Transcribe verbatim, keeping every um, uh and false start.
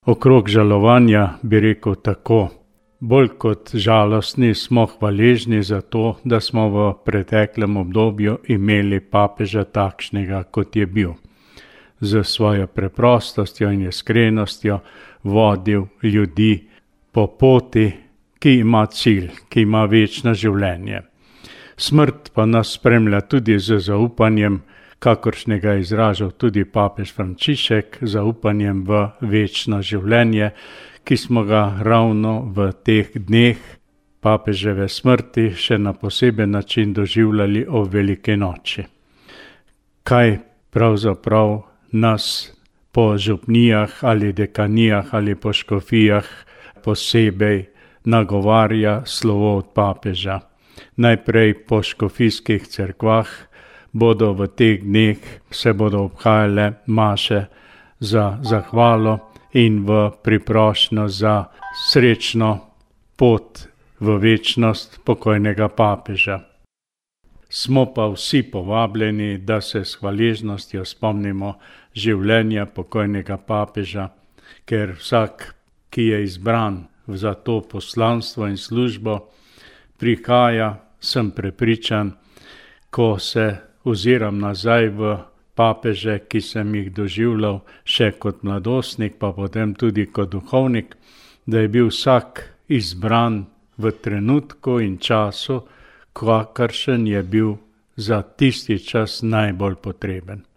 Okrog žalovanja bi rekel tako. Bolj kot žalostni smo hvaležni za to, da smo v preteklem obdobju imeli papeža takšnega, kot je bil. Z svojo preprostostjo in iskrenostjo vodil ljudi po poti, ki ima cilj, ki ima večno življenje. Smrt pa nas spremlja tudi z zaupanjem, kakršnega je izražal tudi papež Frančišek, zaupanjem v večno življenje, ki smo ga ravno v teh dneh papeževe smrti še na poseben način doživljali ob Veliki noči. Kaj pravzaprav nas po župnijah ali dekanijah ali po škofijah posebej nagovarja slovo od papeža? Najprej po škofijskih cerkvah bodo v teh dneh se bodo obhajale maše za zahvalo in v priprošnjo za srečno pot v večnost pokojnega papeža. Smo pa vsi povabljeni, da se s hvaležnostjo spomnimo življenja pokojnega papeža, ker vsak, ki je izbran za to poslanstvo in službo, prihaja, sem prepričan, ko se oziram nazaj v papeže, ki sem jih doživljal še kot mladostnik, pa potem tudi kot duhovnik, da je bil vsak izbran v trenutku in času, kakršen je bil za tisti čas najbolj potreben.